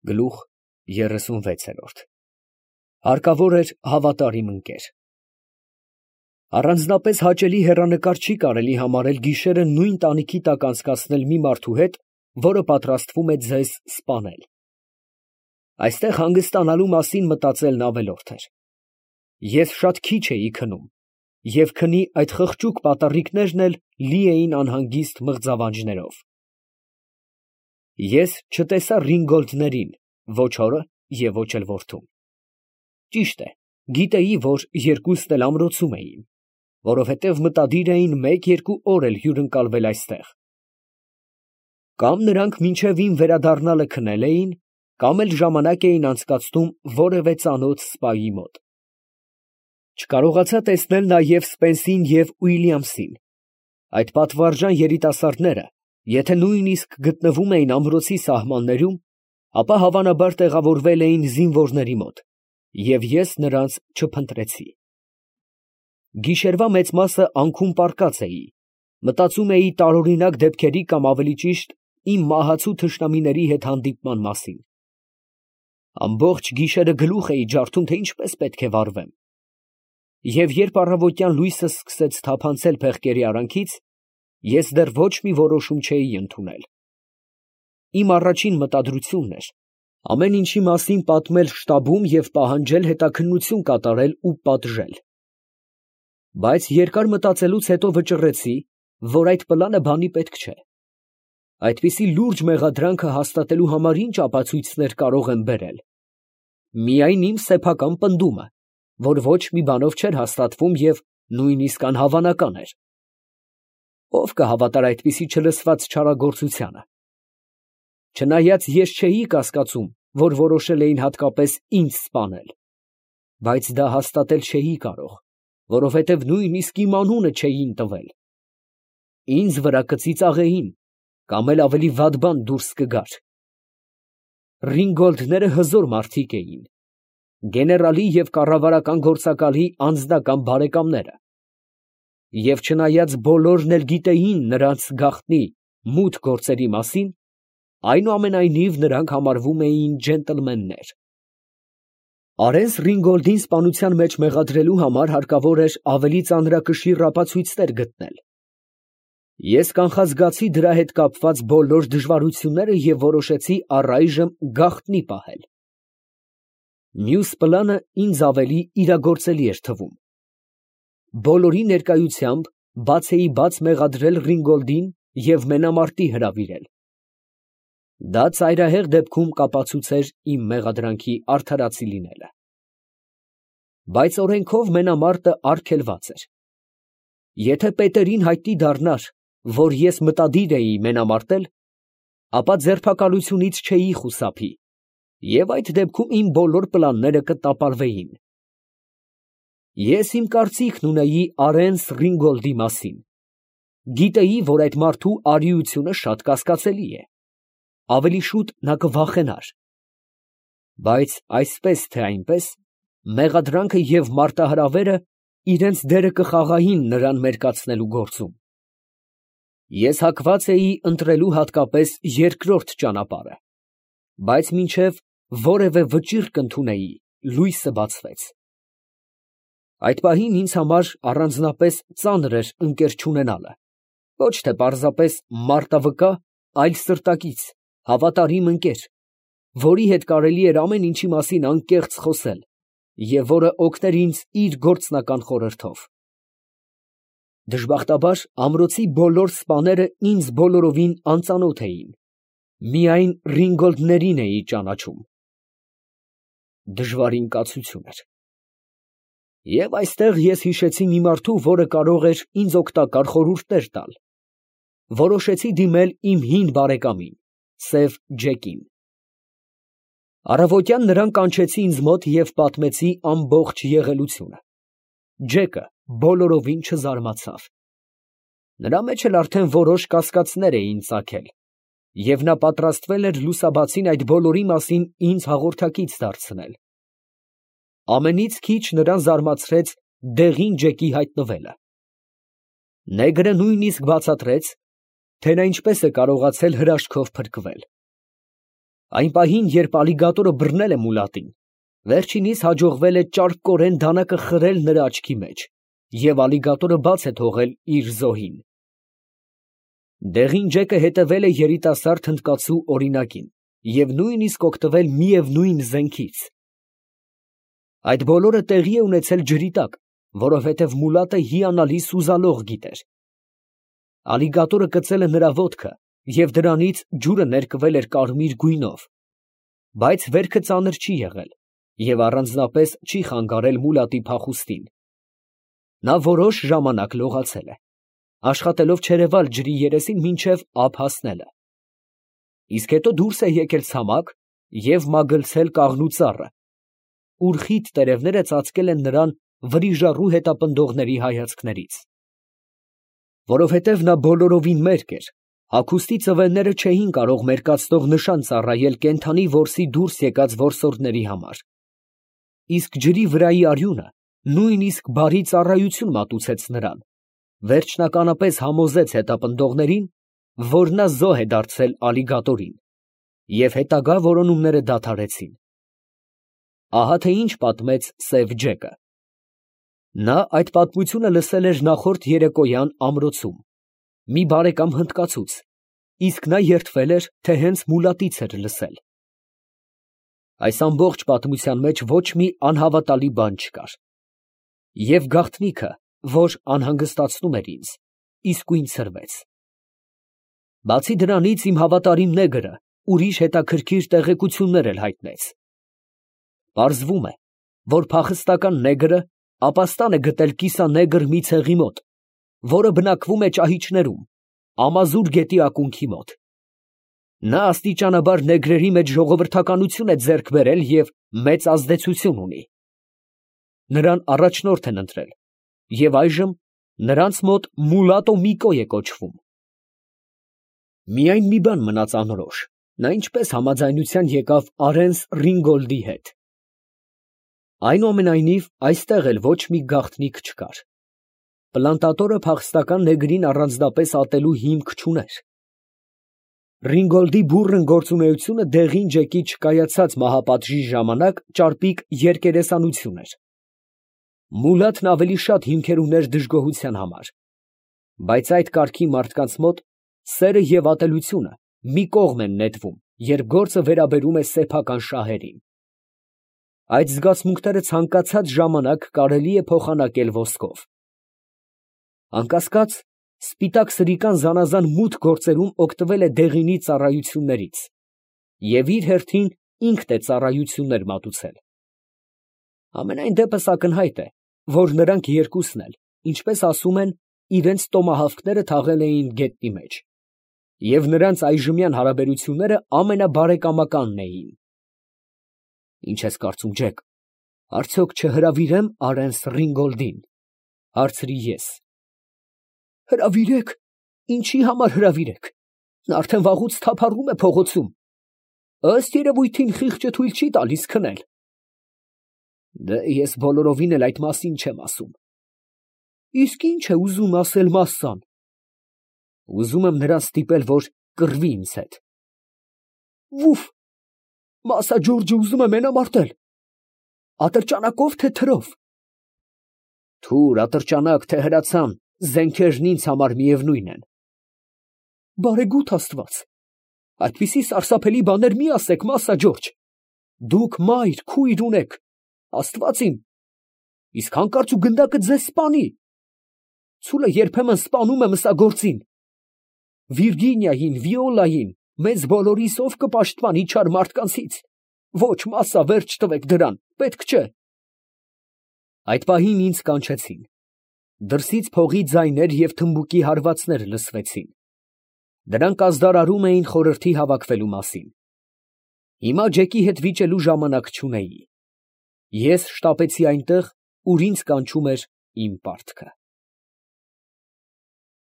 Գլուխ 36 Հարկավոր էր հավատարիմ ընկեր։ Առանձնապես հաճելի հեռանկար չի կարելի համարել գիշերը նույն տանիքի տակ անցկացնել մի մարդու հետ, որը պատրաստվում է ձեզ սպանել։ Այստեղ հանգստանալու մասին մտածելն ավելորդ էր։ Ես շատ քիչ էի քնում, և քնի այդ խղճուկ պատառիկներն էլ լի էին անհանգիստ մղձավանջներով։ Ես չտեսա Ռինգոլդներին, ոչ հորը և ոչ էլ որդուն։ Ճիշտ է, գիտեի, որ երկուսն էլ ամրոցում էին, որովհետև մտադիր էին մեկ֊երկու օր էլ հյուրընկալվել այստեղ։ Կամ նրանք մինչև իմ վերադառնալը քնել էին, կամ էլ ժամանակ էին անցկացնում որևէ ծանոթ սպայի մոտ։ Չկարողացա տեսնել նաև Սպենսին և Ուիլյամսին։ Այդ պատվարժան երիտասարդները, եթե նույնիսկ գտնվում էին ամրոցի սահմաններում, ապա հավանաբար տեղավորվել էին զինվորների մոտ, և ես նրանց չփնտրեցի։ Գիշերվա մեծ մասը անքուն պառկած էի, մտածում էի տարօրինակ դեպքերի կամ ավելի ճիշտ իմ մահացու թշնամիների հետ հանդիպման մասին։ Ամբողջ գիշերը գլուխ էի ջարդում, թե ինչպես պետք է վարվեմ։ Եվ երբ առավոտյան լույսը սկսեց թափանցել փեղկերի արանքից, ես դեռ ոչ մի որոշում չէի ընդունել։ Իմ առաջին մտադրությունն էր ամեն ինչի մասին պատմել շտաբում և պահանջել հետաքննություն կատարել ու պատժել։ Բայց երկար մտածելուց հետո վճռեցի, որ այդ պլանը բանի պետք չէ։ Այդպիսի լուրջ մեղադրանքը հաստատելու համար ինչ ապացույցներ կարող եմ բերել։ Միայն իմ սեփական պնդումը, որ ոչ մի բանով չէր հաստատվում և նույնիսկ անհավանական էր։ Ո՞վ կհավատար այդպիսի չլսված չարագործությանը։ Չնայած ես չէի կասկածում, որ որոշել էին հատկապես ինձ սպանել, բայց դա հաստատել չէի կարող, որովհետև նույնիսկ իմ անունը չէին տվել։ Ինձ վրա կծիծաղեին, կամ էլ ավելի վատ բան դուրս կգար։ Ռինգոլդները հզոր մարդիկ էին, գեներալի և կառավարական գործակալի անձնական բարեկամները, և չնայած բոլորն էլ գիտեին նրանց գաղտնի մութ գործերի մասին, այնուամենայնիվ նրանք համարվում էին ջենտլմեններ։ Արենս Ռինգոլդին սպանության մեջ մեղադրելու համար հարկավոր էր ավելի ծանրակշիռ ապացույցներ գտնել։ Ես կանխազգացի դրա հետ կապված բոլոր դժվարությունները և որոշեցի առայժմ գաղտնի պահել։ Մյուս պլանը ինձ ավելի իրագործելի էր թվում։ Բոլորի ներկայությամբ բաց մեղադրել Ռինգոլդին և մենամարտի հրավիրել։ Դա ծայրահեղ դեպքում կապացուցեր իմ մեղադրանքի արդարացի լինելը։ Բայց օրենքով մենամարտը արգելված էր։ Եթե պետերին հայտնի դառնար, որ ես մտադիր էի մենամարտել, ապա ձերբակալությունից չէի խուսափի, և այդ դեպքում իմ բոլոր պլանները կտապալվեին։ Ես իմ կարծիքն ունեի Արենս Ռինգոլդի մասին։ Գիտեի, որ այդ մարդու արիությունը շատ կասկածելի է։ Ավելի շուտ նա կվախենար։ Բայց այսպես թե այնպես, մեղադրանքը և մարտահրավերը իրենց դերը կխաղային նրան մերկացնելու գործում։ Ես հակված էի ընտրելու հատկապես երկրորդ ճանապարհը, բայց մինչև որևէ վճիռ կընդունեի, լույսը բացվեց։ Այդ պահին ինձ համար առանձնապես ծանր էր ընկեր չունենալը, ոչ թե պարզապես մարտավկա, այլ սրտակից, հավատարիմ ընկեր, որի հետ կարելի էր ամեն ինչի մասին անկեղծ խոսել և որը օգներ ինձ իր գործնական խորհրդով։ Դժբախտաբար ամրոցի բոլոր սպաները ինձ բոլորովին անծանոթ էին, միայն Ռինգոլդներին էի ճանաչում։ Դժվարին կացություն էր։ Եվ այստեղ ես հիշեցի մի մարդու, որը կարող էր ինձ օգտակար խորհուրդներ տալ։ Որոշեցի դիմել իմ հին բարեկամին, սև Ջեկին։ Առավոտյան նրան կանչեցի ինձ մոտ և պատմեցի ամբողջ եղելությունը։ Ջեկը բոլորովին չզարմացավ։ Նրա մեջ էլ արդեն որոշ կասկածներ էին ծագել, և նա պատրաստվել էր լուսաբացին այդ բոլորի մասին ինձ հաղորդակից դարձնել։ Ամենից քիչ նրան զարմացրեց դեղին Ջեկի հայտնվելը։ Նեգրը նույնիսկ բացատրեց, թե նա ինչպես է կարողացել հրաշքով փրկվել։ Այն պահին, երբ ալիգատորը բռնել է մուլատին, վերջինիս հաջողվել է ճարպկորեն դանակը խրել նրա աչքի մեջ, և ալիգատորը բաց է թողել իր զոհին։ Դեղին ջեկը հետևել է երիտասարդ հնդկացու օրինակին և նույնիսկ օգտվել միևնույն զենքից։ Այդ բոլորը տեղի է ունեցել ջրի տակ, որովհետև մուլատը հիանալի սուզալող գիտ էր։ Ալիգատորը կծել է նրա ոտքը, և դրանից ջուրը ներկվել էր կարմիր գույնով, բայց վերքը ծանր չի եղել և առանձնապես չի խանգարել մուլատի փախուստին։ Նա որոշ ժամանակ լողացել է, աշխատելով չերևալ ջրի երեսին մինչև ափ հասնելը, իսկ հետո դուրս է եկել ցամաք և մագլցել կաղնու ծառը, ուր խիտ տերևները ծածկել են նրան վրիժառու հետապնդողների հայացքներից։ Որովհետև նա բոլորովին մերկ էր, հագուստի ծվենները չէին կարող մերկացնող նշան ծառայել կենդանի որսի դուրս եկած որսորդների համար, իսկ ջրի վրայի արյունը նույնիսկ բարի ծառայություն մատուցեց նրան, վերջնականապես համոզեց հետապնդողներին, որ նա զոհ է դարձել ալիգատորին, և հետագա որոնումները դադարեցին։ Ահա թե ինչ պատմեց սև ջեկը։ Նա այդ պատմությունը լսել էր նախորդ երեկոյան ամրոցում, մի բարեկամ հնդկացուց, իսկ նա երդվել էր, թե հենց մուլատից էր լսել։ Այս ամբողջ պատմության մեջ ոչ մի անհավատալի բան չկար։ Եվ գաղտնիքը, որ անհանգստացնում էր ինձ, իսկույն ցրվեց։ Բացի դրանից, իմ հավատարիմ նեգրը ուրիշ հետաքրքիր տեղեկություններ էլ հայտնեց։ Պարզվում է, որ փախստական նեգրը ապաստան է գտել կիսանեգր մի ցեղի մոտ, որը բնակվում է ճահիճներում, Ամազուր գետի ակունքի մոտ։ Նա աստիճանաբար նեգրերի մեջ ժողովրդականություն է ձեռք բերել և մեծ ազդեցություն ունի։ Նրան առաջնորդ են ընտրել, և այժմ նրանց մոտ Մուլատո Միկո է կոչվում։ Միայն մի բան մնաց անորոշ. նա ինչպես համաձայնության եկավ Արենս Ռինգոլդի հետ։ Այնուամենայնիվ, այստեղ էլ ոչ մի գաղտնիք չկար։ Պլանտատորը փախստական նեգրին առանձնապես ատելու հիմք չուներ։ Ռինգոլդի բուռն գործունեությունը դեղին ջեկի չկայացած մահապատժի ժամանակ ճարպիկ երկերեսանություն էր։ Մուլաթն ավելի շատ հիմքեր ուներ դժգոհության համար, բայց այդ կարգի մարդկանց մոտ սերը և ատելությունը մի կողմ են նետվում, երբ գործը վերաբերում է սեփական շահերին։ Այդ զգացմունքները ցանկացած ժամանակ կարելի է փոխանակել ոսկով։ Անկասկած, սպիտակ սրիկան զանազան մութ գործերում օգտվել է դեղինի ծառայություններից և իր հերթին ինքն է ծառայություններ մատուցել։ Համենայն դեպս ակնհայտ է, որ նրանք երկուսն էլ, ինչպես ասում են, իրենց տոմահավքները թաղել էին գետնի մեջ, և նրանց այժմյան հարաբերությունները ամենաբարեկամականն էին։ ֊ Ինչ ես կարծում, Ջեք, արդյոք չհրավիրե՞մ Արենս Ռինգոլդին, ֊ հարցրի ես։ ֊ Հրավիրեք, ինչի համար հրավիրեք, նա արդեն վաղուց թափառում է փողոցում, ըստ երևույթին խիղճը թույլ չի տալիս քնել։ Դե ես բոլորովին էլ այդ մասին չեմ ասում։ Իսկ ի՞նչ է ուզում ասել մասսան։ Ուզում եմ նրան ստիպել, որ կռվի ինձ հետ։ Վուֆ, Մասա Ջորջը ուզում է մենամարտել։ Ատրճանակո՞վ, թե թրով։ Թուր, ատրճանակ, թե հրացան, զենքերն ինձ համար միևնույն են։ Բարեգութ Աստված, այդպիսի սարսափելի բաներ մի ասեք, Մասա Ջորջ։ Դուք մայր, քույր ունեք, Աստված իմ, իսկ հանկարծ ու գնդակը ձեզ սպանի։ Ցուլը երբեմն սպանում է մսագործին։ Վիրգինիային, Վիոլային, մեզ բոլորիս ով կպաշտպանի չար մարդկանցից։ Ոչ, Մասա, վերջ տվեք դրան, պետք չէ։ Այդ պահին ինձ կանչեցին։ Դրսից փողի ձայներ և թմբուկի հարվածներ լսվեցին։ Դրանք ազդարարում էին խորհրդի հավաքվելու մասին։ Հիմա Ջեկի հետ վիճելու ժամանակ չունեի։ Ես շտապեցի այնտեղ, ուր ինձ կանչում էր իմ պարտքը։